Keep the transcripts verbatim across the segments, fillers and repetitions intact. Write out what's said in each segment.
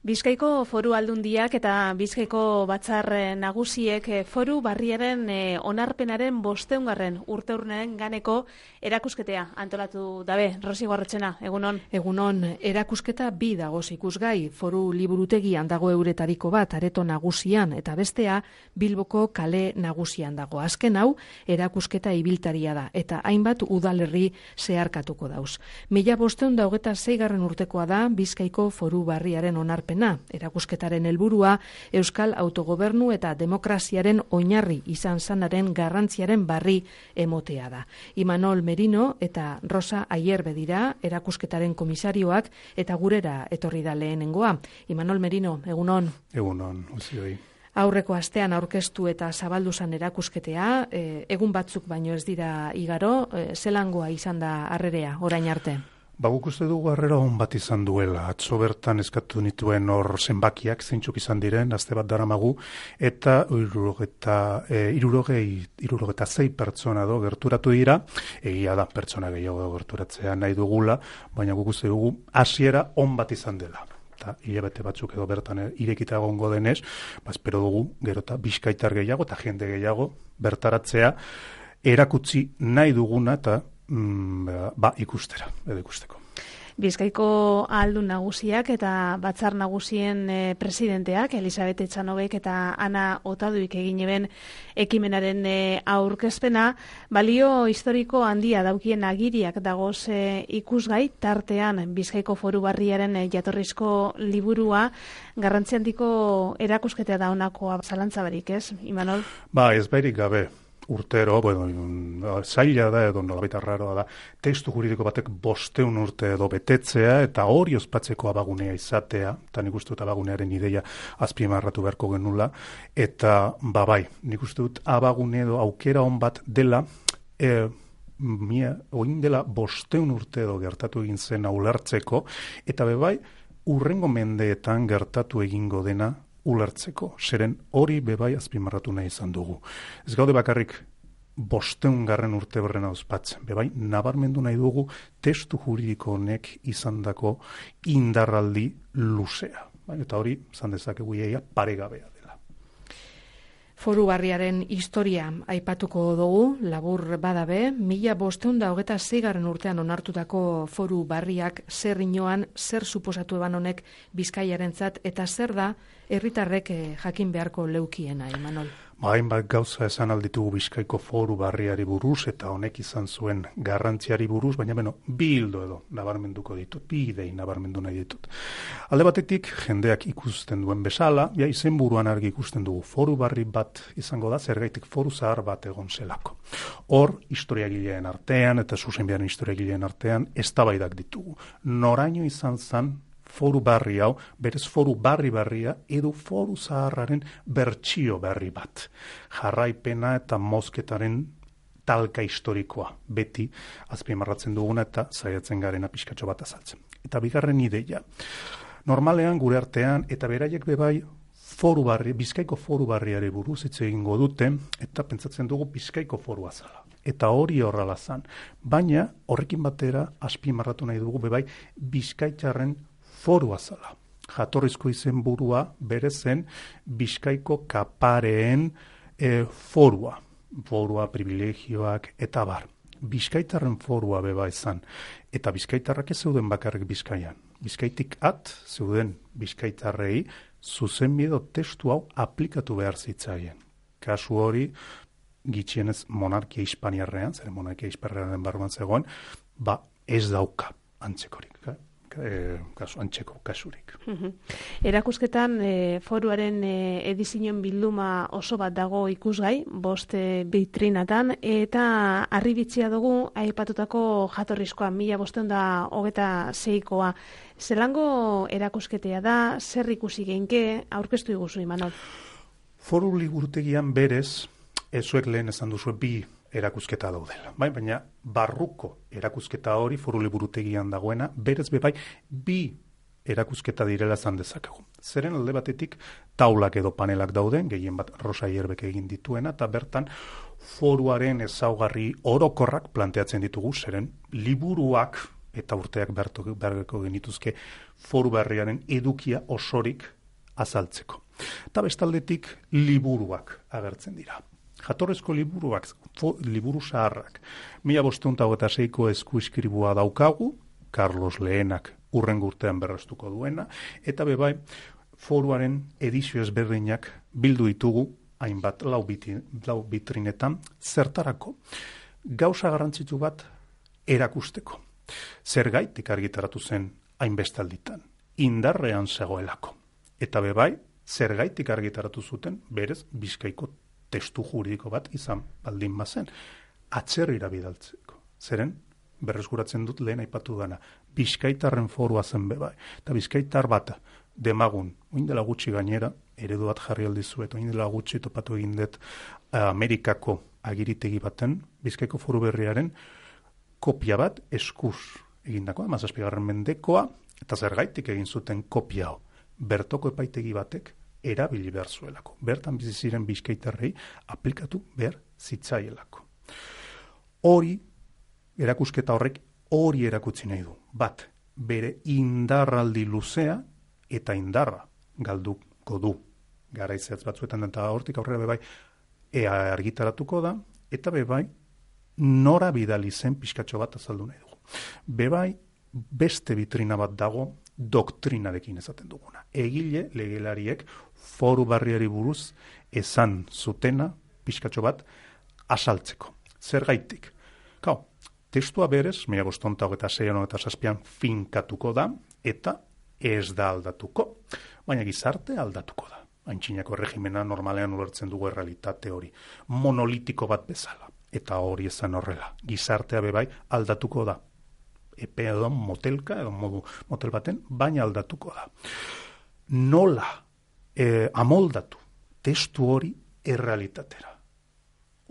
Bizkaiko Foru Aldundiak eta Bizkaiko Batzar Nagusiek Foru Barriaren onarpenaren bosteungarren urteurrenaren ganeko erakusketea antolatu dabe. Rosi Guarretxena, egunon. Egunon, erakusketa bi dagoz ikusgai. Foru Liburutegian dago euretariko bat Areto Nagusian eta bestea Bilboko Kale Nagusian dago. Azken hau erakusketa ibiltaria da eta hainbat udalerri zeharkatuko dauz. Mila bosteun da hogeta zeigarren urtekoa da Bizkaiko Foru Barriaren onarpen. Erakusketaren helburua Euskal Autogobernu eta demokraziaren oinarri izan zanaren garrantziaren barri emotea da. Imanol Merino eta Rosa Ayerbe dira erakusketaren komisarioak eta gurera etorri da lehenengoa. Imanol Merino, egunon. Egunon, uzioi. Aurreko astean aurkeztu eta zabaldu zan erakusketea, e, egun batzuk baino ez dira igaro, e, zelangoa izan da harrerea, orain arte? Ba, guk uste dugu harrera hon bat izan duela. Atzo bertan eskatu nituen hor zenbakiak, zeintzuk izan diren, aste bat daramagu, eta irurogeta, e, irurogei, irurogeta zei pertsona do gerturatu dira, egia da pertsona gehiago gerturatzea nahi dugula, baina guk uste dugu hasiera hon bat izan dela. Eta hilabete batzuk edo bertan irekita egongo denez, ba, espero dugu gero eta bizkaitar gehiago eta jende gehiago bertaratzea erakutsi nahi duguna eta Mm, ba, ikustera, edo ikusteko. Bizkaiko Ahaldun Nagusiak eta Batzar Nagusien e, presidenteak, Elisabet Etxanobek eta Ana Otaduik egin eben ekimenaren e, aurkezpena, balio historiko handia daukien agiriak dagoz e, ikusgai, tartean Bizkaiko Foru Barriaren e, jatorrizko liburua, garrantzi handiko erakusketea da honakoa zalantza barik, ez, Imanol? Ba, ez bairik gabe. Urtero, bueno, zaila da edo nolabait arraroa da, testu juridiko batek bosteun urte edo betetzea eta hori ospatzeko abagunea izatea, eta nik uste dut abagunearen ideia azpimarratu beharko genula, eta babai, nik uste dut abagune edo aukera hon bat dela, e, mia, oin dela bosteun urte edo gertatu egin zen ulertzeko, eta bebai, urrengo mendeetan gertatu egingo dena ulertzeko, zeren hori bebai azpimarratu nahi izan dugu. Ez gaude bakarrik bosteun garren urte berrena ospatzen, bebai nabarmendu nahi dugu testu juridiko honek izandako indarraldi luzea. Eta hori, zan dezakegu iaia paregabea dela. Foru Barriaren historia aipatuko dugu, labur badabe, mila bosteun da hogeta zeigarren urtean onartutako Foru Barriak zer inoan, zer suposatu eban honek Bizkaiarentzat eta zer da herritarrek jakin beharko leukiena, Imanol. Ba, hainbat gauza esan alditugu Bizkaiko Foru Barriari buruz eta honek izan zuen garrantziari buruz, baina beno, bi hildo edo nabarmenduko ditut, bi idei nabarmendu nahi ditut. Alde batetik, jendeak ikusten duen bezala, ja izenburuan argi ikusten dugu Foru Barri bat izango da, zergaitik foru zahar bat egon zelako. Hor, historiagileen artean eta zuzenbiaren historiagileen artean eztabaidak ditugu. Noraino izan zan Foru Barri hau, berez Foru Barri barria edo Foru Zaharraren bertsio berri bat. Jarraipena eta mozketaren talka historikoa, beti azpimarratzen duguna eta saiatzen garena pixkatxo bat azaltzen. Eta bigarren ideia, normalean gure artean eta beraiek bebai Foru Barri, Bizkaiko Foru Barriari buruz hitz egingo dute eta pentsatzen dugu Bizkaiko Forua zala. Eta hori horrela zan, baina horrekin batera azpimarratu nahi dugu bebai Bizkaitarren forua zala. Jatorrizko izenburua bere zen Bizkaiko kapareen e, forua. Forua, privilegioak eta bar. Bizkaitarren forua beba izan. Eta Bizkaitarrak ez zeuden bakarrik Bizkaian. Bizkaitik at zeuden Bizkaitarrei zuzenbide testu hau aplikatu behar zitzaien. Kasu hori, gitxienez monarkia hispaniarrean, zer monarkia hispaniarrean barruan zegoen, ba ez dauka antzekorik. E, kasu, antxeko kasurik. Uh-huh. Erakusketan e, foruaren e, edizioen bilduma oso bat dago ikusgai, bost e, bitrinatan, eta harribitzia dugu aipatutako jatorrizkoa, mila bosteun da hogeta zeikoa. Zelango erakusketea da, zer ikusi geinke, aurkeztu iguzu, Imanol? Foru Liburutegian berez, ezuek lehen esan duzu bi erakusketa daudela. Bai, baina barruko erakusketa hori Foru Liburutegian dagoena, berez bebai bi erakusketa direla zan dezakegu. Zeren alde batetik taulak edo panelak dauden, gehien bat Rosa Ierbek egin dituena, eta bertan foruaren ezaugarri orokorrak planteatzen ditugu, zeren liburuak eta urteak beharko genituzke foru berriaren edukia osorik azaltzeko. Eta bestaldetik liburuak agertzen dira. Jatorrezko liburuak, fo, liburu zaharrak, mila bostehun eta hogeita seiko eskuizkribua daukagu, Carlos Lehenak urrengo urtean berrestuko duena, eta bebai foruaren edizio ezberdinak bildu ditugu, hainbat lau, biti, lau bitrinetan, zertarako gauza garrantzitsu bat erakusteko. Zergaitik argitaratu zen hainbestalditan, indarrean zegoelako. Eta bebai, zergaitik argitaratu zuten, berez, Bizkaiko testu juridiko bat izan baldin bazen, atzerrira bidaltzeko. Zeren, berreskuratzen dut lehen aipatu dana, Bizkaitarren forua zen bebai. Eta Bizkaitar bat, demagun, oin dela gutxi gainera, eredu bat jarri aldizuet, oin dela gutxi topatu egin dut Amerikako agiritegi baten, Bizkaiko foru berriaren kopia bat eskuz egindakoa, hamazazpigarren mendekoa, eta zergaitik egin zuten kopia hau. Bertoko epaitegi batek erabili behar zuelako. Bertan bizi ziren Bizkaitarrei aplikatu behar zitzaielako. Hori, erakusketa horrek hori erakutsi nahi du. Bat, bere indarraldi luzea eta indarra galduko du. Garaizeatz batzuetan eta hortik aurrera bebai ea argitaratuko da, eta bebai nora bidali zen pixkatxo bat azaldu nahi dugu. Bebai beste vitrina bat dago doktrinarekin esaten duguna. Egile legelariek foru barriari buruz esan zutena pixkatxo bat asaltzeko. Zergaitik? Kau, testua berez, mila bostehun eta hogeita seian eta zazpian finkatuko da, eta ez da aldatuko, baina gizarte aldatuko da. Antxinako erregimena normalean ulertzen dugu errealitate hori, monolitiko bat bezala. Eta hori ezan horrela. Gizartea bebai aldatuko da. Epe edo motelka, edo modu motel baten, baina aldatuko da. Nola eh, amoldatu testu hori errealitatera.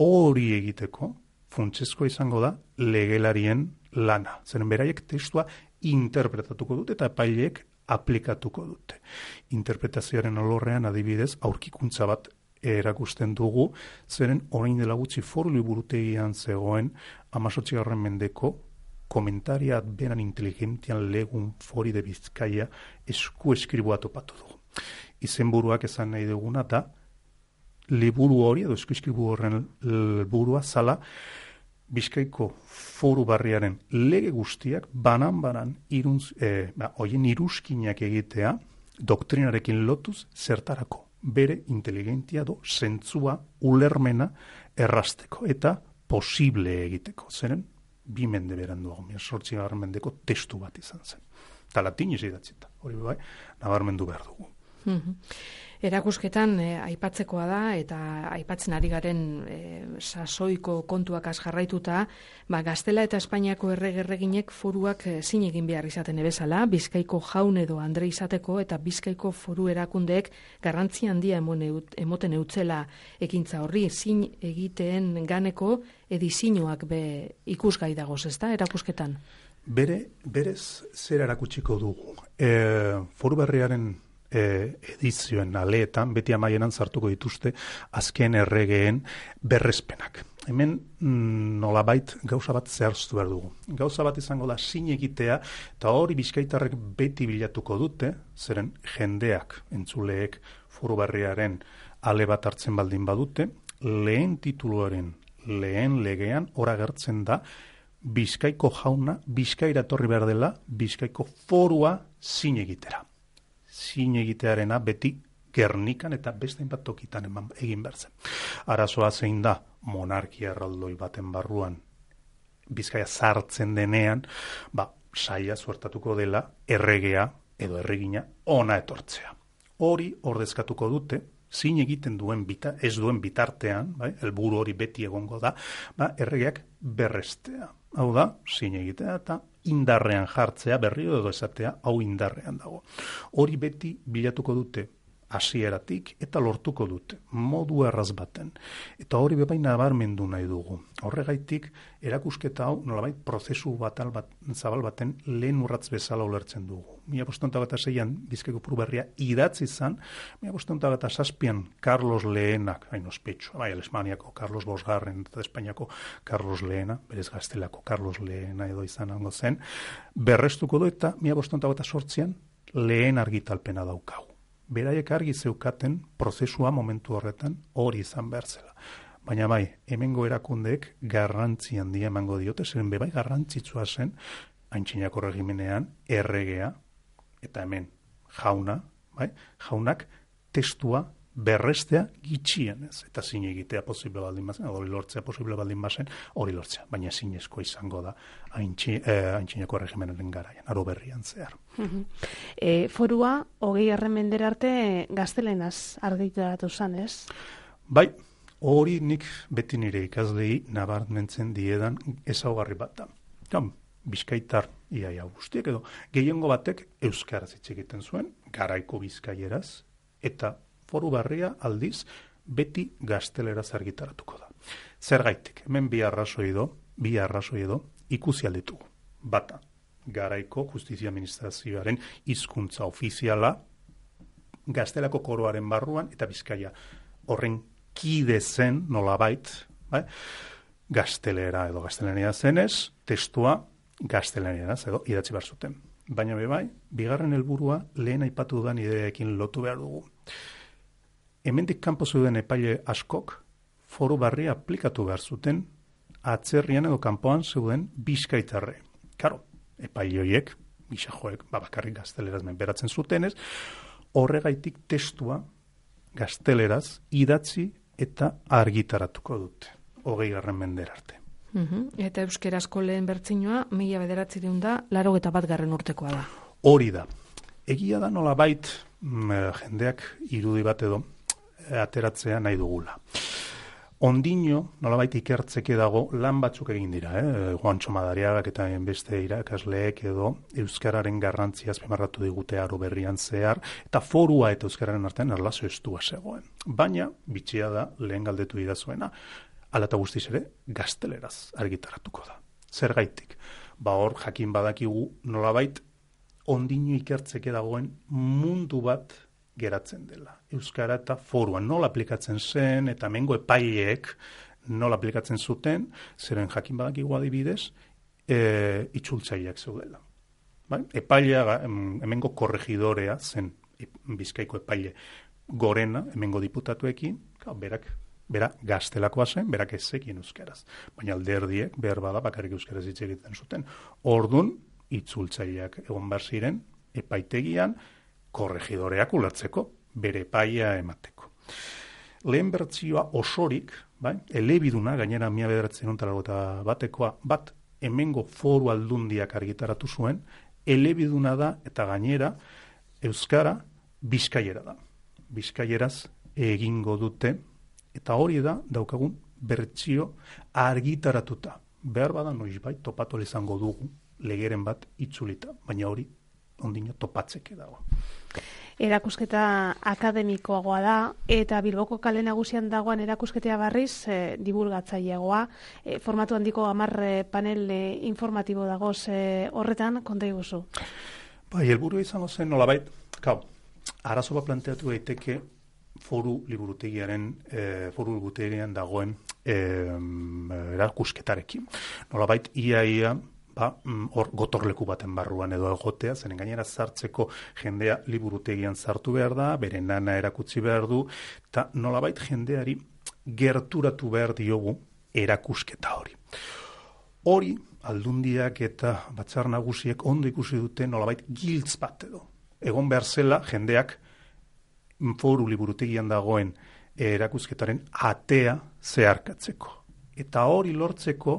Hori egiteko, funtsezkoa izango da legelarien lana. Zeren beraiek testua interpretatuko dute eta epaileek aplikatuko dute. Interpretazioaren alorrean adibidez aurkikuntza bat erakusten dugu, zeren orain dela gutxi foru liburutegian zegoen hamazortzigarren mendeko komentariat beran inteligentian legun fori de Bizkaia esku eskribua topatu dugu. Izenburuak esan nahi duguna da liburu hori edo esku eskribu horren burua zala Bizkaiko foru barriaren lege guztiak banan-banan iruntz, eh, ba, oien iruzkinak egitea doktrinarekin lotuz zertarako bere inteligentia do zentzua ulermena errasteko eta posible egiteko. Zeren, bi mende beranduago, sortzigarren mendeko testu bat izan zen. Eta latiniz idatzita, hori bai, nabarmendu behar dugu. Mm-hmm. Erakusketan eh, aipatzekoa da eta aipatzen ari garen eh, sasoiko kontuak az jarraituta, ba, Gaztela eta Espainiako erregerreginek foruak eh, zin egin behar izaten ebezala, Bizkaiko jaun edo andre izateko eta Bizkaiko foru erakundeek garrantzi handia emoten eutzela ekintza horri, zin egiteen ganeko edizinoak be ikusgai dagoz, ezta, erakusketan? Bere, berez zer erakutsiko dugu. E, foru berriaren E, edizioen aleetan, beti amaienan sartuko dituzte azken erregeen berrespenak. Hemen mm, nolabait gauza bat zehaztu behar dugu. Gauza bat izango da zin egitea, eta hori Bizkaitarrek beti bilatuko dute, zeren jendeak, entzuleek, foru berriaren ale bat hartzen baldin badute, lehen tituluaren, lehen legean, ora gertzen da, Bizkaiko jauna, Bizkaira etorri behar dela, Bizkaiko forua zin egitera. Zin egitearena beti Gernikan eta beste hainbat tokitan eman egin behar zen. Arazoa zein da monarkia erraldoi baten barruan Bizkaia sartzen denean, ba, saia suertatuko dela erregea edo erregina ona etortzea. Hori ordezkatuko dute, zin egiten duen bita, ez duen bitartean, bai, helburu hori beti egongo da, ba, erregeak berrestea. Hau da, zin egitea eta indarrean jartzea, berriro edo esatea, hau indarrean dago. Hori beti bilatuko dute hasieratik eta lortuko dute, modu erraz baten. Eta hori bebai nabarmendu nahi dugu. Horregaitik, erakusketa hau nolabait prozesu batal bat, zabal baten lehen urratz bezala ulertzen dugu. Mila bostonta bat seian Bizkaiko Foru Berria idatzi izan, mila bostonta bat zazpian Carlos Lehenak, hain ospetsu, bai, Alemaniako Carlos Bosgarren eta Espainiako Carlos Lehena, berez Gaztelako Carlos Lehena edo izan hango zen, berrestuko du eta mila bostonta bat sortzian lehen argitalpena daukagu. Beraiek argi zeukaten prozesua momentu horretan hori izan behar zela. Baina bai, hemengo erakundeek garrantzi handia emango diote, zeren bebai garrantzitsua zen, Aintzinako regimenean, erregea, eta hemen jauna, bai, jaunak testua berrestea gitxienez, eta zine egitea posible baldin bazen, hori lortzea posible baldin bazen, hori lortzea, baina zinezko izango da aintzi, eh, Aintzinako regimenaren garaian, aro berrian zehar. E, forua, hogei mendera arte gaztelenaz argitaratu zan, ez? Bai, hori nik beti nire ikaslei nabarmentzen diedan ezaugarri bat da. Ja, Bizkaitar iaia guztiek edo gehiengo batek euskaraz hitz egiten zuen, garaiko bizkaieraz, eta Foru Berria aldiz beti gazteleraz argitaratuko da. Zergaitik, hemen bi arrazoi edo, bi arrazoi edo ikusi alditugu. Bata, garaiko justizia administrazioaren hizkuntza ofiziala gaztelako koroaren barruan eta Bizkaia horren kide zen nolabait, bai? Gaztelera edo gaztelania zenez, testua gaztelaniaraz edo idatzi behar zuten. Baina bebai, bigarren helburua lehen aipatu dudan ideekin lotu behar dugu. Hemendik kanpo zeuden epaile askok Foru Berria aplikatu behar zuten atzerrian edo kanpoan zeuden bizkaitarre. Karo, epaile horiek, gisajoek, babakarrik gazteleraz menberatzen zutenez, horregaitik testua gazteleraz idatzi eta argitaratuko dute, hogei garren mendera arte. Uhum. Eta euskerazko lehen bertsinoa, mila bederatziehun da, laurogeita bat garren urtekoa da. Hori da. Egia da nolabait mm, jendeak irudi bat edo ateratzea nahi dugula. Ondino, nolabait ikertzeke dago lan batzuk egin dira, eh? Juantxo Madariagak eta beste irakasleek edo euskararen garrantzia azpimarratu digute aro berrian zehar, eta forua eta euskararen artean erlazio estua zegoen. Baina, bitxia da, lehen galdetu idazuena, ala eta guztiz ere, gazteleraz argitaratuko da. Zergaitik, ba hor jakin badakigu nolabait ondino ikertzeke dagoen mundu bat geratzen dela. Euskara eta foruan nola aplikatzen zen, eta mengo epaileek nola aplikatzen zuten, zeren jakin badakigu adibidez, e, itzultzaileak zeudela. Bai? Epailea, hemengo korregidorea zen Bizkaiko epaile gorena, hemengo diputatuekin, berak bera gaztelakoa zen, berak ez zekien euskaraz. Baina alderdiek, behar bada, bakarrik euskaraz hitz egiten zuten. Ordun itzultzaileak egon behar ziren, epaitegian, korregidoreak ulertzeko, bere epaia emateko. Lehen bertzioa osorik, bai, elebiduna, gainera mila bederatzen ontalagota batekoa, bat hemengo foru aldundiak argitaratu zuen, elebiduna da eta gainera euskara bizkaiera da. Bizkaieraz egingo dute, eta hori da daukagun bertsio argitaratuta. Behar bada noizbait topatu izango dugu legeren bat itzulita, baina hori ondino topatzeke dago. Erakusketa akademikoagoa da, eta Bilboko kale nagusian dagoan erakusketea barriz e, divulgatzaileagoa. E, formatu handiko hamar e, panel e, informatibo dagoz e, horretan, konta iguzu. Bai, helburu izango zen nolabait, kau, arazo bat planteatu daiteke foru liburutegiaren, e, foru liburutegian dagoen e, erakusketarekin. Nolabait, ia ia, ba, hor gotorleku baten barruan edo egotea, zenen gainera sartzeko jendea liburutegian sartu behar da, bere nana erakutsi behar du, eta nolabait jendeari gerturatu behar diogu erakusketa hori. Hori, aldundiak eta batzar nagusiek ondo ikusi dute nolabait giltz bat edo. Egon behar zela jendeak foru liburutegian dagoen erakusketaren atea zeharkatzeko. Eta hori lortzeko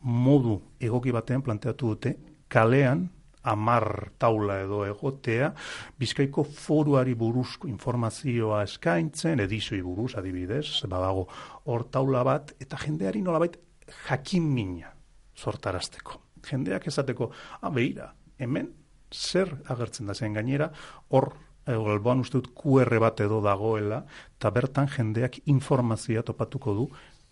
modu egoki batean planteatu dute kalean hamar taula edo egotea Bizkaiko foruari buruzko informazioa eskaintzen, edizioi buruz adibidez, badago hor taula bat, eta jendeari nolabait jakin mina sortarazteko. Jendeak esateko, ah, beira, hemen zer agertzen da zen gainera, hor alboan uste dut Q R bat edo dagoela, eta bertan jendeak informazioa topatuko du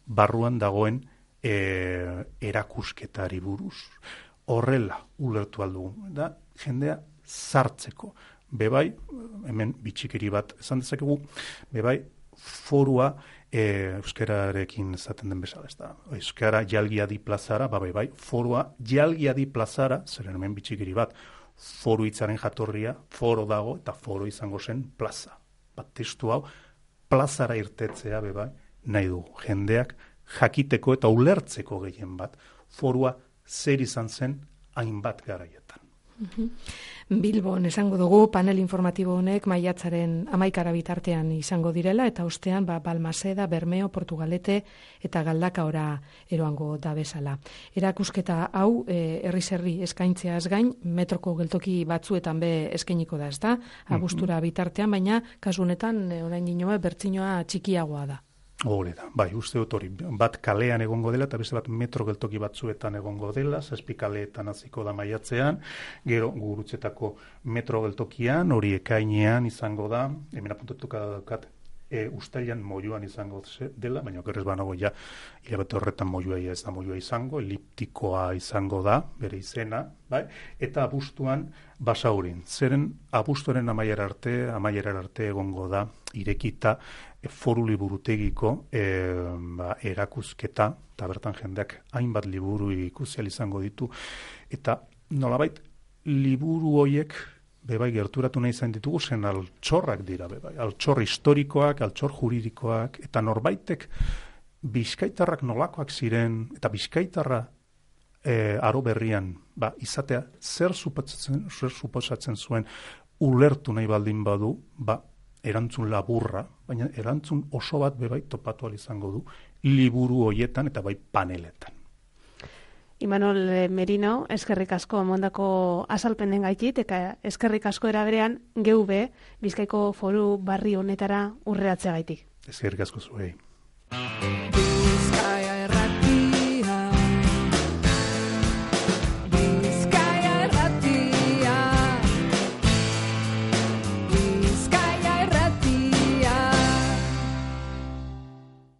barruan dagoen e, erakusketari buruz. Horrela ulertu aldugu, da jendea sartzeko. Bebai, hemen bitxikeri bat esan dezakegu, bebai, forua e, euskararekin esaten den bezala, ez da. Euskara jalgiadi plazara, ba bebai, forua jalgiadi plazara, zeren hemen bitxikeri bat, foru hitzaren jatorria, foro dago, eta foro izango zen plaza. Bat testu hau, plazara irtetzea, bebai, nahi du, jendeak jakiteko eta ulertzeko gehien bat, forua zer izan zen hainbat garaietan. Bilbon esango dugu panel informatibo honek maiatzaren hamaikara bitartean izango direla eta ostean ba, Balmaseda, Bermeo, Portugalete eta Galdakaora eroango da bezala. Erakusketa hau e, herriz herri eskaintzeaz gain metroko geltoki batzuetan be eskainiko da, ezta? Abuztura bitartean, baina kasu honetan e, orain dinoa bertsinoa txikiagoa da. Hore da, bai, uste dut hori, bat kalean egongo dela, eta beste bat metro geltoki batzuetan egongo dela, zazpi kaleetan hasiko da maiatzean, gero Gurutzetako metro geltokian, hori ekainean izango da, hemen apuntatuka daukat, e, ustailan Moiuan izango dela, baina okerrez banago ja, hilabete horretan Moiua ez da Moiua izango, eliptikoa izango da, bere izena, bai, eta abuztuan Basaurin, zeren abuztuaren amaiera arte, amaiera arte egongo da, irekita, foru liburutegiko e, ba, erakusketa, eta bertan jendeak hainbat liburu ikusial izango ditu, eta nolabait liburu hoiek bebai gerturatu nahi izan ditugu, zen altxorrak dira bebai, altxor historikoak, altxor juridikoak, eta norbaitek bizkaitarrak nolakoak ziren, eta bizkaitarra e, aro berrian, ba, izatea zer suposatzen, zer suposatzen zuen ulertu nahi baldin badu, ba, erantzun laburra, baina erantzun oso bat bebai topatu izango du liburu hoietan eta bai paneletan. Imanol Merino, eskerrik asko emondako azalpenen gaitit, eta eskerrik asko eraberean geube Bizkaiko foru barri honetara urreatzea gaitik. Eskerrik asko zuei.